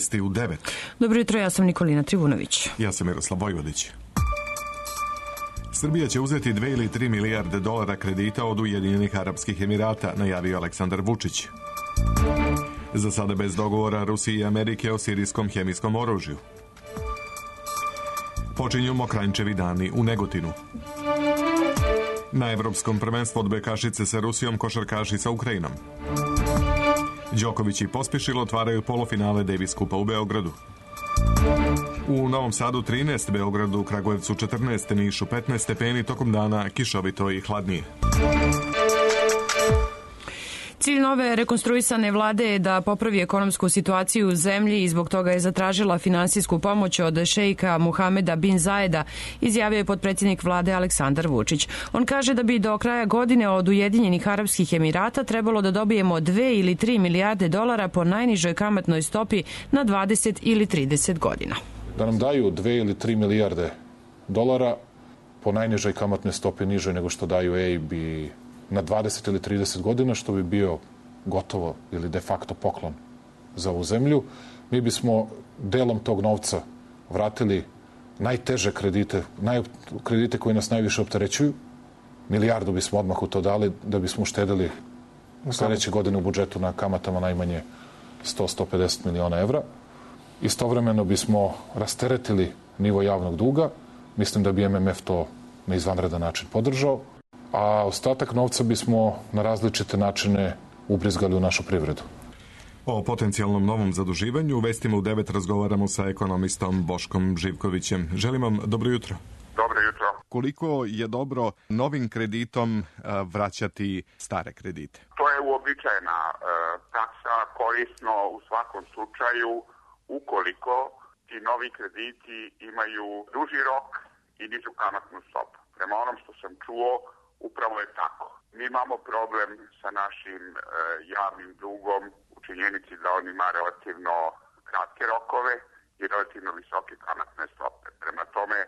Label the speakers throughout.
Speaker 1: Vesti u 9.
Speaker 2: Dobro jutro, ja sam Nikolina Trivunović.
Speaker 1: Ja sam Miroslav Vojvodić. Srbija će uzeti 2 ili 3 milijarde dolara kredita od Ujedinjenih Arapskih Emirata, najavio Aleksandar Vučić. Za sada bez dogovora Rusije i Amerike o sirijskom hemijskom oružju. Počinju Mokranjčevi dani u Negotinu. Na evropskom prvenstvu odbojkašice sa Rusijom, košarkaši sa Ukrajinom. Đoković i Pospišil otvaraju polufinale Davis Kupa u Beogradu. U Novom Sadu 13, Beogradu, Kragujevcu 14, Nišu 15 stepeni, tokom dana kišovito i hladnije.
Speaker 2: Cilj nove rekonstruisane vlade je da popravi ekonomsku situaciju u zemlji i zbog toga je zatražila finansijsku pomoć od šejka Muhameda bin Zajeda, izjavio je potpredsjednik vlade Aleksandar Vučić. On kaže da bi do kraja godine od Ujedinjenih Arapskih Emirata trebalo da dobijemo 2 ili 3 milijarde dolara po najnižoj kamatnoj stopi na 20 ili 30 godina.
Speaker 3: Da nam daju 2 ili 3 milijarde dolara po najnižoj kamatnoj stopi, nižoj nego što daju EIB na 20 ili 30 godina, što bi bio gotovo ili de facto poklon za ovu zemlju. Mi bismo delom tog novca vratili najteže kredite, kredite koji nas najviše opterećuju. Milijardu bismo odmah u to dali da bismo uštedili sledeće godine u budžetu na kamatama najmanje 100-150 miliona evra. Istovremeno bismo rasteretili nivo javnog duga. Mislim da bi MMF to na izvanredan način podržao. A ostatak novca bismo na različite načine ubrizgali u našu privredu.
Speaker 1: O potencijalnom novom zaduživanju u Vestima u 9 razgovaramo sa ekonomistom Boškom Živkovićem. Želim vam dobro jutro.
Speaker 4: Dobro jutro.
Speaker 1: Koliko je dobro novim kreditom vraćati stare kredite?
Speaker 4: To je uobičajena praksa, korisno u svakom slučaju ukoliko ti novi krediti imaju duži rok i nižu kamatnu stopu. Prema onom što sam čuo, upravo je tako. Mi imamo problem sa našim javnim dugom u činjenici da on ima relativno kratke rokove i relativno visoke kamatne stope. Prema tome,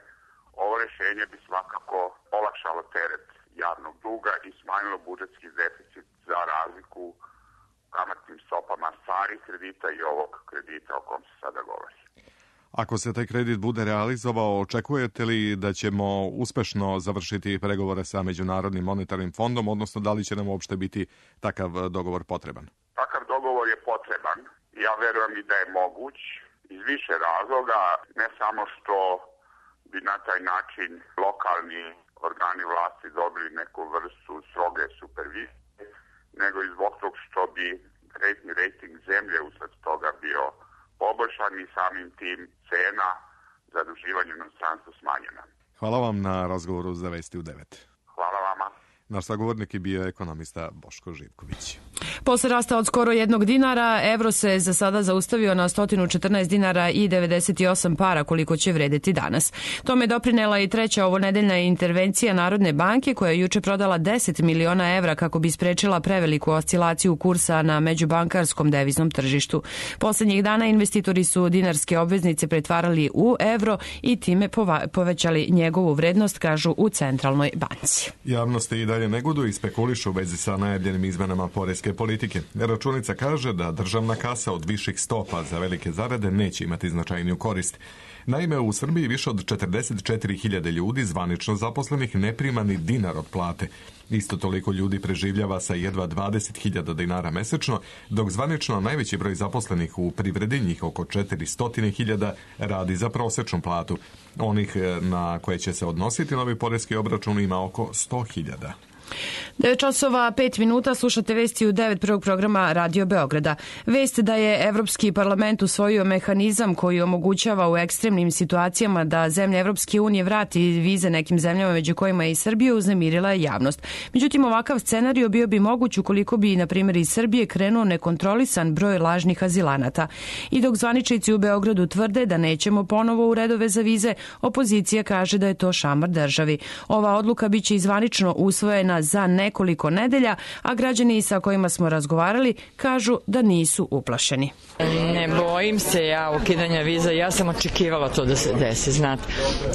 Speaker 4: ovo rešenje bi svakako olakšalo teret javnog duga i smanjilo budžetski deficit za razliku kamatnim stopama starih kredita i ovog kredita o kom se sada govori.
Speaker 1: Ako se taj kredit bude realizovao, očekujete li da ćemo uspešno završiti pregovore sa Međunarodnim monetarnim fondom, odnosno da li će nam uopšte biti takav dogovor potreban?
Speaker 4: Takav dogovor je potreban. Ja verujem i da je moguć iz više razloga, ne samo što bi na taj način lokalni organi vlasti dobili neku vrstu stroge supervizije, nego i zbog tog što bi kreditni rejting zemlje usled toga bio poboljšan i samim tim cena zaduživanja u inostranstvu smanjena.
Speaker 1: Hvala vam na razgovoru za Vesti u 9.
Speaker 4: Hvala vama.
Speaker 1: Naš sagovornik je bio ekonomista Boško Živković.
Speaker 2: Posle rasta od skoro 1 dinara, evro se za sada zaustavio na 114 dinara i 98 para koliko će vredeti danas. Tome doprinela i treća ovonedeljna intervencija Narodne banke koja je juče prodala 10 miliona evra kako bi sprečila preveliku oscilaciju kursa na međubankarskom deviznom tržištu. Poslednjih dana investitori su dinarske obveznice pretvarali u evro i time povećali njegovu vrednost, kažu u Centralnoj banci.
Speaker 1: Javnost i dalje negoduju i spekulišu u vezi sa najavljenim izmenama poreske politike. Računica kaže da državna kasa od viših stopa za velike zarade neće imati značajniju korist. Naime, u Srbiji više od 44.000 ljudi zvanično zaposlenih ne prima ni dinar od plate. Isto toliko ljudi preživljava sa jedva 20.000 dinara mesečno, dok zvanično najveći broj zaposlenih u privredi, njih oko 400.000, radi za prosečnu platu. Onih na koje će se odnositi novi poreski obračun ima oko 100.000.
Speaker 2: 9 časova 5 minuta, slušate Vesti u 9 prvog programa Radio Beograda. Vest da je Evropski parlament usvojio mehanizam koji omogućava u ekstremnim situacijama da zemlje Evropske unije vrati vize nekim zemljama, među kojima je i Srbija, uznemirila je javnost. Međutim, ovakav scenario bio bi moguć ukoliko bi, na primjer, iz Srbije krenuo nekontrolisan broj lažnih azilanata. I dok zvaničnici u Beogradu tvrde da nećemo ponovo u redove za vize, opozicija kaže da je to šamar državi. Ova odluka biće i zvanično usvojena za nekoliko nedelja, a građani sa kojima smo razgovarali kažu da nisu uplašeni.
Speaker 5: Ne bojim se ja ukidanja viza, ja sam očekivala to da se desi, znate.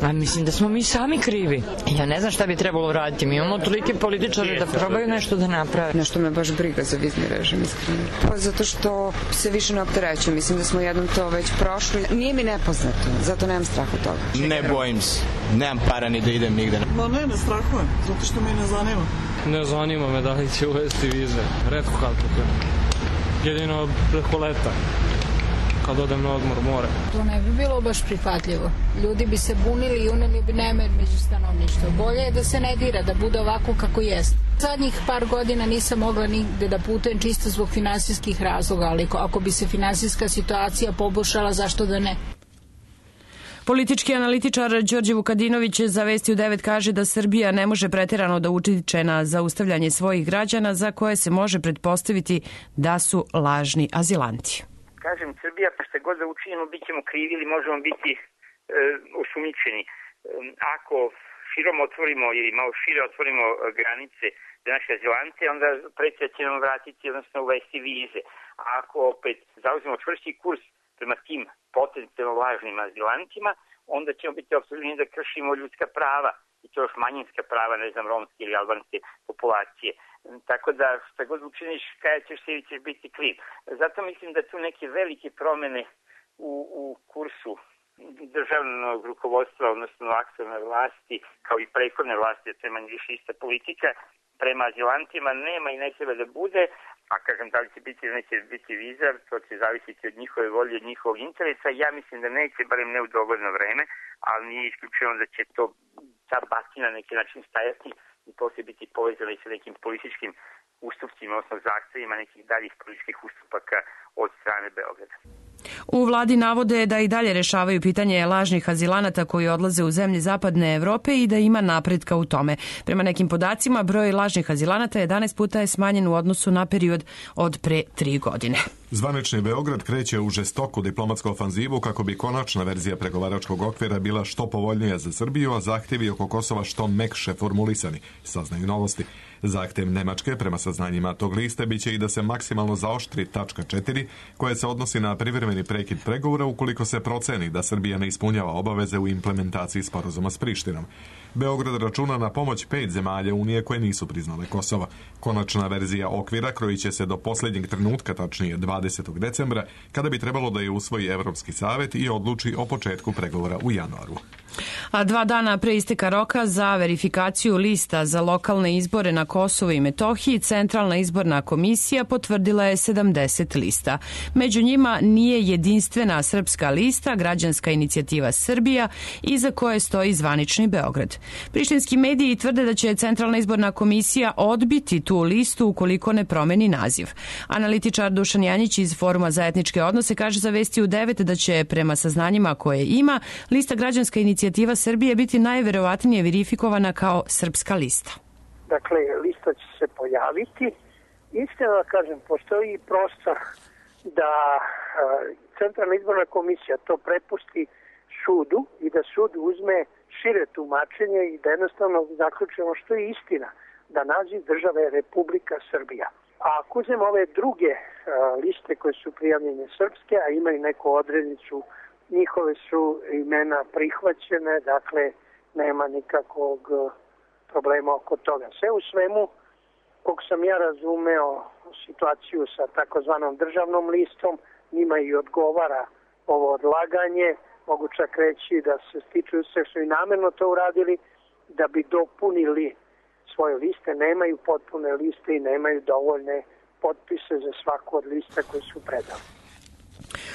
Speaker 5: A mislim da smo mi sami krivi. Ja ne znam šta bi trebalo raditi. Mi imamo tolike političare da probaju nešto da naprave.
Speaker 6: Nešto me baš briga za vizni režim, iskreno. Pa zato što se više ne opterećujem. Mislim da smo jednom to već prošli. Nije mi nepoznato, zato nemam strah od toga.
Speaker 7: Ne bojim se. Nemam para ni da idem nigde.
Speaker 8: Ma ne strahujem, zato što me ne zanima.
Speaker 9: Ne zanima me da li će uvesti vize. Retko kad to. Jedino preko leta. Kad odem na odmor more.
Speaker 10: To ne bi bilo baš prihvatljivo. Ljudi bi se bunili i uneli bi nemir među stanovništvo. Bolje je da se ne dira, da bude ovako kako jest. Zadnjih par godina nisam mogla nigde da putujem čisto zbog finansijskih razloga, ali ako bi se finansijska situacija poboljšala, zašto da ne?
Speaker 2: Politički analitičar Đorđe Vukadinović za Vesti u 9 kaže da Srbija ne može preterano da utiče na zaustavljanje svojih građana za koje se može pretpostaviti da su lažni azilanti.
Speaker 11: Kažem, Srbija, pa šta god da učinimo, bit ćemo krivi ili možemo biti osumnjičeni. Ako širom otvorimo ili malo šire otvorimo granice za naše azilante, onda predsjednik će nam vratiti, odnosno uvesti vize. A ako opet zauzmemo čvrsti kurs prema tim potencijalno lažnim azilantima, onda ćemo biti optuženi da kršimo ljudska prava i to još manjinska prava, ne znam, romske ili albanske populacije. Tako da šta god učiniš, kada ćeš se ili ćeš biti kriv. Zato mislim da tu neke velike promene u kursu državnog rukovodstva, odnosno aktualne vlasti, kao i prethodne vlasti, to je manje više ista politika, prema azilantima nema i ne treba da bude, a kažem da li će biti ili neće biti viza, to će zavisiti od njihove volje, od njihovog interesa. Ja mislim da neće, barem ne u dogodno vreme, ali nije isključeno da će to ta batina na neki način stajati i poslije biti povezana i sa nekim političkim ustupcima, odnosno zahtevima nekih daljih političkih ustupaka od strane Beograda.
Speaker 2: U vladi navode da i dalje rešavaju pitanje lažnih azilanata koji odlaze u zemlje zapadne Evrope i da ima napretka u tome. Prema nekim podacima, broj lažnih azilanata 11 puta je smanjen u odnosu na period od pre 3 godine.
Speaker 1: Zvanični Beograd kreće u žestoku diplomatsku ofanzivu kako bi konačna verzija pregovaračkog okvira bila što povoljnija za Srbiju, a zahtjevi oko Kosova što mekše formulisani, saznaju Novosti. Zahtev Nemačke, prema saznanjima tog liste, biće i da se maksimalno zaoštri tačka 4, koja se odnosi na privremeni prekid pregovora ukoliko se proceni da Srbija ne ispunjava obaveze u implementaciji sporazuma s Prištinom. Beograd računa na pomoć 5 zemalja Unije koje nisu priznale Kosovo. Konačna verzija okvira krojit će se do posljednjeg trenutka, tačnije 20. decembra, kada bi trebalo da je usvoji Evropski savet i odluči o početku pregovora u januaru.
Speaker 2: A 2 dana pre isteka roka za verifikaciju lista za lokalne izbore na Kosovu i Metohiji, Centralna izborna komisija potvrdila je 70 lista. Među njima nije jedinstvena srpska lista, Građanska inicijativa Srbija, iza koje stoji zvanični Beograd. Prištinski mediji tvrde da će Centralna izborna komisija odbiti tu listu ukoliko ne promeni naziv. Analitičar Dušan Janjić iz Foruma za etničke odnose kaže za Vesti u 9 da će prema saznanjima koje ima lista Građanska inicijativa Srbije biti najverovatnije verifikovana kao srpska lista.
Speaker 12: Dakle, lista će se pojaviti. Istina da kažem, postoji prostor da Centralna izborna komisija to prepusti sudu i da sud uzme šire tumačenje i da jednostavno zaključimo što je istina, da naziv države je Republika Srbija. A ako uzmemo ove druge liste koje su prijavljene srpske, a imaju neku odrednicu, njihove su imena prihvaćene, dakle nema nikakvog problema oko toga. Sve u svemu, koliko sam ja razumeo situaciju sa takozvanom državnom listom, njima i odgovara ovo odlaganje. Mogu čak reći da se stiču sve što i namerno to uradili da bi dopunili svoje liste, nemaju potpune liste i nemaju dovoljne potpise za svaku od lista koje su predali.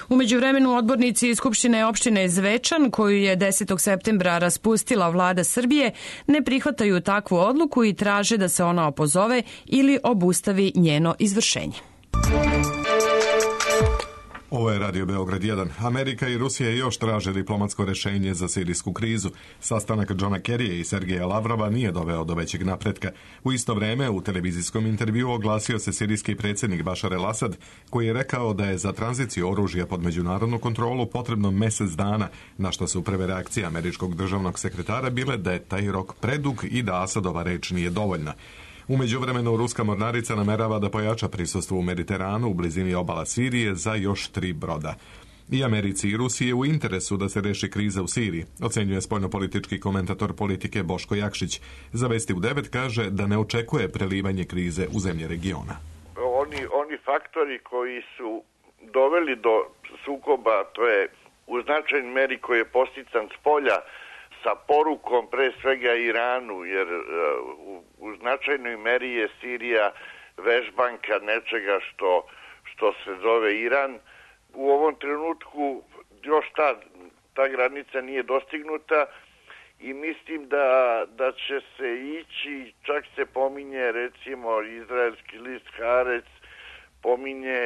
Speaker 2: U međuvremenu odbornici Skupštine opštine Zvečan, koju je 10. septembra raspustila vlada Srbije, ne prihvataju takvu odluku i traže da se ona opozove ili obustavi njeno izvršenje.
Speaker 1: Ovo je Radio Beograd 1. Amerika i Rusija još traže diplomatsko rešenje za sirijsku krizu. Sastanak Johna Kerrya i Sergeja Lavrova nije doveo do većeg napretka. U isto vreme, u televizijskom intervjuu oglasio se sirijski predsjednik Bašar el-Asad, koji je rekao da je za tranziciju oružja pod međunarodnu kontrolu potrebno mjesec dana, na što su prve reakcije američkog državnog sekretara bile da je taj rok predug i da Asadova reč nije dovoljna. U međuvremenu ruska mornarica namerava da pojača prisustvo u Mediteranu u blizini obala Sirije za još 3 broda. I Americi i Rusiji je u interesu da se reši kriza u Siriji, ocenjuje spoljnopolitički komentator politike Boško Jakšić. Za Vesti u 9 kaže da ne očekuje prelivanje krize u zemlje regiona.
Speaker 13: Oni faktori koji su doveli do sukoba, to je u značajnoj meri koji je postican s polja sa porukom pre svega Iranu, jer u značajnoj meri je Sirija vežbanka nečega što se zove Iran. U ovom trenutku još ta granica nije dostignuta i mislim da će se ići, čak se pominje recimo izraelski list Haaretz, pominje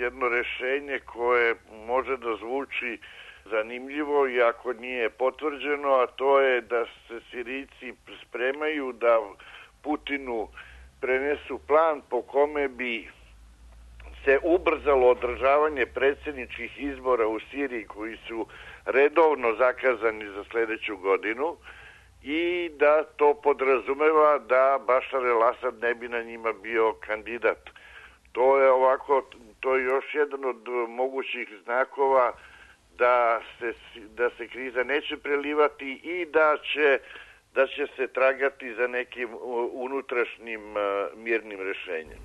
Speaker 13: jedno rešenje koje može da zvuči zanimljivo i ako nije potvrđeno, a to je da se Sirijci spremaju da Putinu prenesu plan po kome bi se ubrzalo održavanje predsjedničkih izbora u Siriji koji su redovno zakazani za sljedeću godinu i da to podrazumeva da Bašar el-Asad ne bi na njima bio kandidat. To je još jedan od mogućih znakova da se kriza neće prelivati i da će se tragati za nekim unutrašnjim mirnim rešenjem.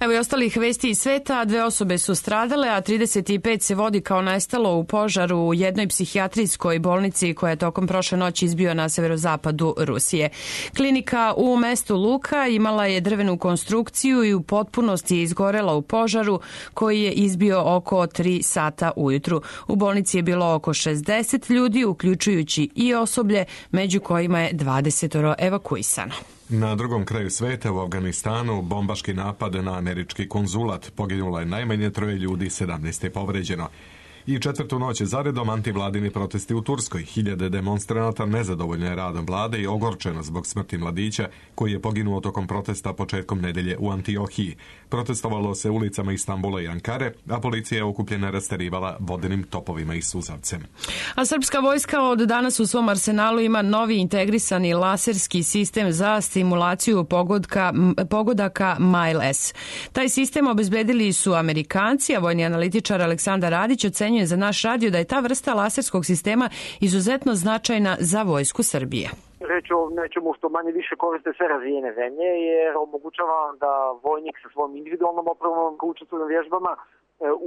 Speaker 2: Evo i ostalih vesti iz sveta, 2 osobe su stradale, a 35 se vodi kao nestalo u požaru u jednoj psihijatrijskoj bolnici koja je tokom prošle noći izbio na severozapadu Rusije. Klinika u mestu Luka imala je drvenu konstrukciju i u potpunosti je izgorela u požaru koji je izbio oko 3 sata ujutru. U bolnici je bilo oko 60 ljudi, uključujući i osoblje, među kojima je 20 evakuisano.
Speaker 1: Na drugom kraju sveta u Afganistanu bombaški napad na američki konzulat. Poginulo je najmanje 3 ljudi, 17 je povređeno. I 4. noć zaredom antivladini protesti u Turskoj. Hiljade demonstranata nezadovoljno je radom vlade i ogorčeno zbog smrti mladića koji je poginuo tokom protesta početkom nedelje u Antiohiji. Protestovalo se ulicama Istambula i Ankare, a policija je okupljena rasterivala vodenim topovima i suzavcem.
Speaker 2: A srpska vojska od danas u svom arsenalu ima novi integrisani laserski sistem za stimulaciju pogodaka Mile-S. Taj sistem obezbedili su Amerikanci, a vojni analitičar Aleksandar Radić ocenjuje za naš radio da je ta vrsta laserskog sistema izuzetno značajna za vojsku Srbije.
Speaker 14: Reč o nečemu što manje više koriste sve razvijene zemlje, jer omogućava da vojnik sa svojom individualnom opremom koji učestvuju na vježbama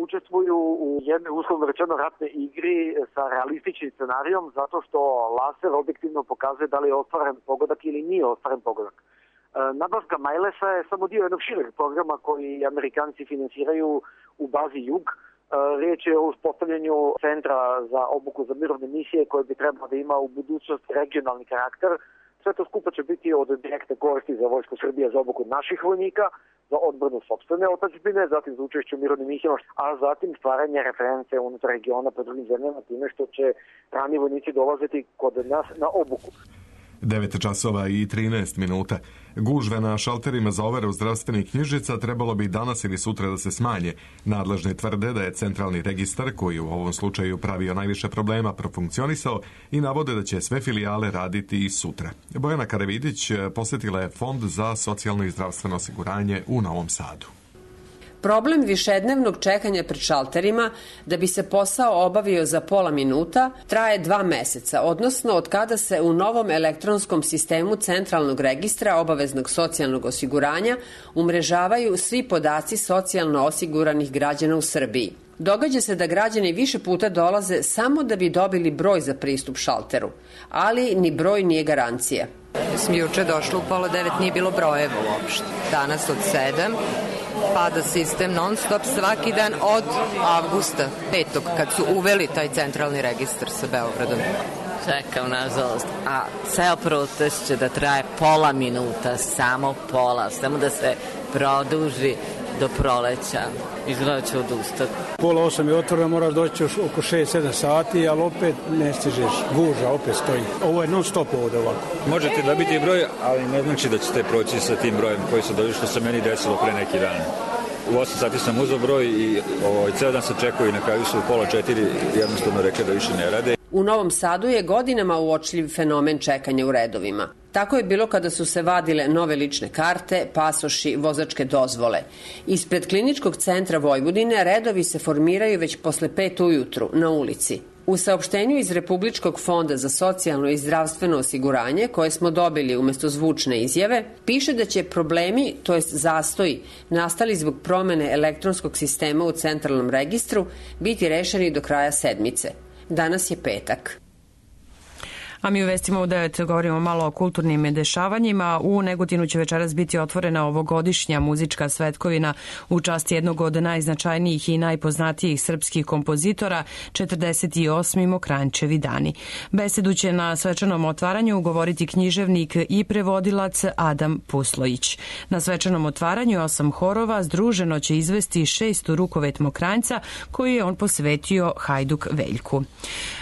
Speaker 14: učestvuju u jednoj uslovno rečeno ratnoj igri sa realističnim scenarijom, zato što laser objektivno pokazuje da li je ostvaren pogodak ili nije ostvaren pogodak. Nabavka Mile-sa je samo dio jednog šireg programa koji Amerikanci finansiraju u bazi Jug. Riječ je o uspostavljanju centra za obuku za mirovne misije koje bi trebalo da ima u budućnosti regionalni karakter. Sve to skupa će biti od direktne koristi za vojsku Srbije za obuku naših vojnika, za odbranu sopstvene otadžbine, zatim za učešće u mirovnim misijama, a zatim stvaranje reference unutar regiona po drugim zemljama time što će rani vojnici dolaziti kod nas na obuku.
Speaker 1: 9 časova i 13 minuta. Gužve na šalterima za overu zdravstvenih knjižica trebalo bi danas ili sutra da se smanje. Nadležni tvrde da je centralni registar, koji u ovom slučaju pravio najviše problema, profunkcionisao i navode da će sve filijale raditi i sutra. Bojana Karavidić posjetila je Fond za socijalno i zdravstveno osiguranje u Novom Sadu.
Speaker 15: Problem višednevnog čekanja pred šalterima da bi se posao obavio za pola minuta traje 2 meseca, odnosno od kada se u novom elektronskom sistemu centralnog registra obaveznog socijalnog osiguranja umrežavaju svi podaci socijalno osiguranih građana u Srbiji. Događa se da građani više puta dolaze samo da bi dobili broj za pristup šalteru, ali ni broj nije garancija.
Speaker 16: Juče došlo u 8:30, nije bilo brojeva uopšte. Danas od 7 pada sistem non stop svaki dan od avgusta 5. kad su uveli taj centralni registar sa Beogradom.
Speaker 17: Čekam, nažalost, a ceo protest će da traje pola minuta, samo pola, samo da se produži do proleća. Izgleda ću odustati.
Speaker 18: 7:30 je otvoreno, moraš doći oko 6-7 sati, ali opet ne stižeš, guža opet stoji. Ovo je non stop ovdje ovako.
Speaker 19: Možete dobiti broj, ali ne znači da ćete proći sa tim brojem koji su dobili, što se meni desilo pre neki dan. U 8 sati sam uzeo broj i ceo dan se čekao i na kraju su u 3:30 jednostavno rekli da više ne rade.
Speaker 15: U Novom Sadu je godinama uočljiv fenomen čekanja u redovima. Tako je bilo kada su se vadile nove lične karte, pasoši, vozačke dozvole. Ispred Kliničkog centra Vojvodine redovi se formiraju već posle 5 ujutru na ulici. U saopštenju iz Republičkog fonda za socijalno i zdravstveno osiguranje, koje smo dobili umesto zvučne izjave, piše da će problemi, to jest zastoji, nastali zbog promene elektronskog sistema u centralnom registru, biti rešeni do kraja sedmice. Danas je petak.
Speaker 2: A mi u vestima u 9 govorimo malo o kulturnim dešavanjima. U Negotinu će večeras biti otvorena ovogodišnja muzička svetkovina u čast jednog od najznačajnijih i najpoznatijih srpskih kompozitora, 48. Mokranjčevi dani. Besedu će na svečanom otvaranju govoriti književnik i prevodilac Adam Puslojić. Na svečanom otvaranju 8 horova združeno će izvesti 6. rukovet Mokranjca koji je on posvetio Hajduk Veljku.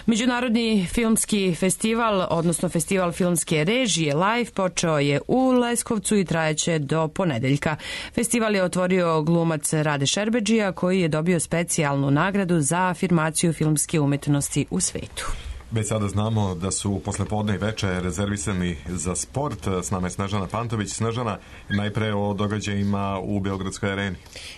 Speaker 2: Međunarodni filmski festival, odnosno festival filmske režije Live, počeo je u Leskovcu i trajeće do ponedeljka. Festival je otvorio glumac Rade Šerbedžija koji je dobio specijalnu nagradu za afirmaciju filmske umetnosti u svetu.
Speaker 1: Već sada znamo da su poslepodne i veče rezervisani za sport. S nama je Snežana Pantović. Snežana, najpre o događajima u Beogradskoj areni.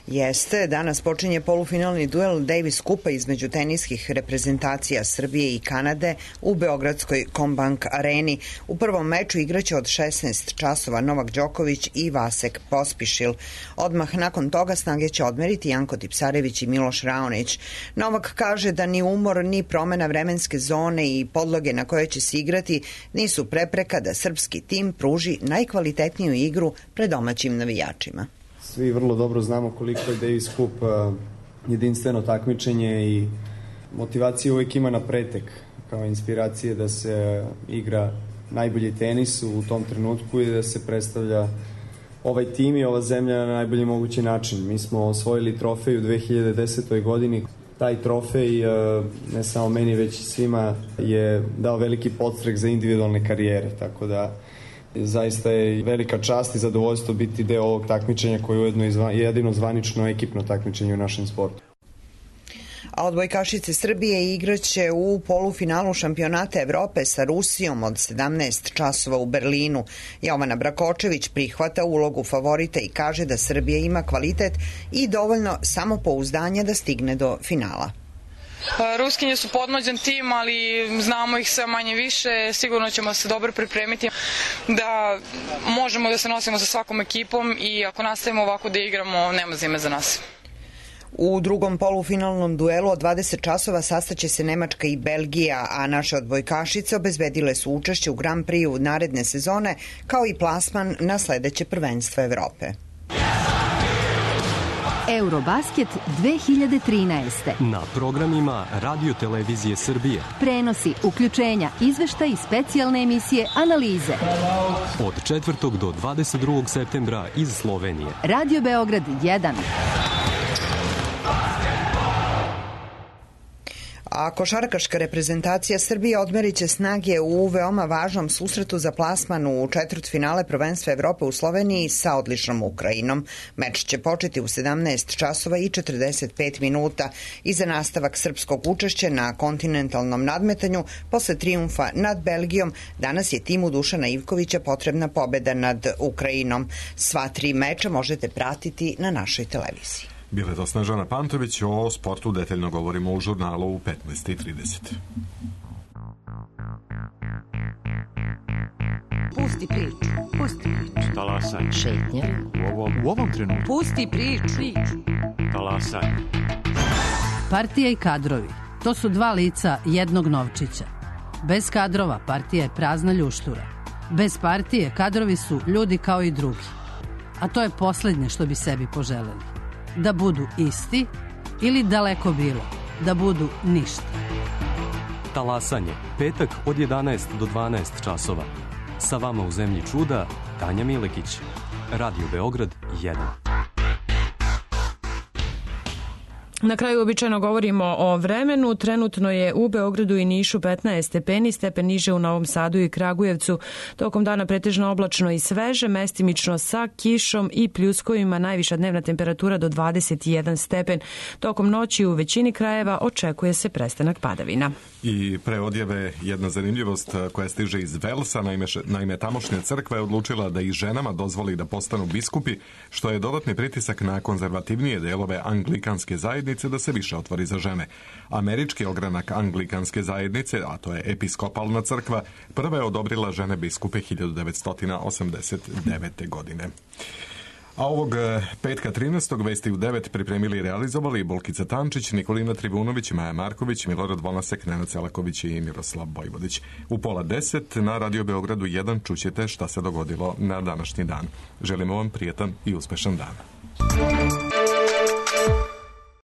Speaker 20: Jeste, danas počinje polufinalni duel Davis Kupa između teniskih reprezentacija Srbije i Kanade u Beogradskoj Combank areni. U prvom meču igraće od 16 časova Novak Đoković i Vasek Pospišil. Odmah nakon toga snage će odmeriti Janko Tipsarević i Miloš Raonić. Novak kaže da ni umor ni promena vremenske zone i podloge na koje će se igrati nisu prepreka da srpski tim pruži najkvalitetniju igru pred domaćim navijačima.
Speaker 21: Svi vrlo dobro znamo koliko je Davis Cup jedinstveno takmičenje i motivacija uvijek ima na pretek kao inspiracije da se igra najbolji tenis u tom trenutku i da se predstavlja ovaj tim i ova zemlja na najbolji mogući način. Mi smo osvojili trofej u 2010. godini. Taj trofej, ne samo meni, već i svima, je dao veliki podstrek za individualne karijere, tako da zaista je velika čast i zadovoljstvo biti deo ovog takmičenja koje je ujedno jedino zvanično ekipno takmičenje u našem sportu.
Speaker 20: A odbojkašice Srbije igraće u polufinalu šampionata Evrope sa Rusijom od 17 časova u Berlinu. Jovana Brakočević prihvata ulogu favorita i kaže da Srbija ima kvalitet i dovoljno samopouzdanja da stigne do finala.
Speaker 22: Ruskinje su podmlađen tim, ali znamo ih sve manje više, sigurno ćemo se dobro pripremiti da možemo da se nosimo sa svakom ekipom i ako nastavimo ovako da igramo, nema zime za nas.
Speaker 20: U drugom polufinalnom duelu od 20 časova sastaće se Nemačka i Belgija, a naše odbojkašice obezbedile su učešće u Grand Prix naredne sezone, kao i plasman na sledeće prvenstvo Evrope.
Speaker 23: Eurobasket 2013.
Speaker 24: Na programima Radio Televizije Srbije.
Speaker 23: Prenosi, uključenja, izveštaj i specijalne emisije, analize.
Speaker 24: Od 4. do 22. septembra iz Slovenije.
Speaker 23: Radio Beograd 1.
Speaker 20: A košarkaška reprezentacija Srbije odmerit će snage u veoma važnom susretu za plasman u četvrtfinale prvenstva Evrope u Sloveniji sa odličnom Ukrajinom. Meč će početi u 17 časova i 45 minuta i za nastavak srpskog učešća na kontinentalnom nadmetanju posle trijumfa nad Belgijom danas je timu Dušana Ivkovića potrebna pobeda nad Ukrajinom. Sva 3 meča možete pratiti na našoj televiziji.
Speaker 1: Bile to Snežana Pantović, o sportu detaljno govorimo u žurnalu u 15:30.
Speaker 23: Pusti priču, pusti priču.
Speaker 24: Talasaj.
Speaker 23: Šetnja.
Speaker 24: U ovom trenutku.
Speaker 23: Pusti priču.
Speaker 24: Talasaj.
Speaker 25: Partija i kadrovi, to su dva lica jednog novčića. Bez kadrova partija je prazna ljuštura. Bez partije kadrovi su ljudi kao i drugi. A to je poslednje što bi sebi poželeli. Da budu isti ili daleko bilo, da budu ništa.
Speaker 24: Talasanje, petak od 11 do 12 časova. Sa vama u zemlji čuda, Tanja Milekić. Radio Beograd 1.
Speaker 2: Na kraju običajno govorimo o vremenu. Trenutno je u Beogradu i Nišu 15 stepeni, stepen niže u Novom Sadu i Kragujevcu. Tokom dana pretežno oblačno i sveže, mestimično sa kišom i pljuskovima, najviša dnevna temperatura do 21 stepen. Tokom noći u većini krajeva očekuje se prestanak padavina.
Speaker 1: I pre odjave jedna zanimljivost koja stiže iz Velsa, naime tamošnja crkva je odlučila da i ženama dozvoli da postanu biskupi, što je dodatni pritisak na konzervativnije delove anglikanske zajednice da se više otvori za žene. Američki ogranak anglikanske zajednice, a to je episkopalna crkva, prva je odobrila žene biskupe 1989. godine. A ovog petka 13. vesti u 9 pripremili i realizovali Bolkica Tančić, Nikolina Trivunović, Maja Marković, Milorad Vonasek, Nenad Celaković i Miroslav Bojvodić. U 9:30 na Radio Beogradu 1 čućete šta se dogodilo na današnji dan. Želimo vam prijetan i uspešan dan.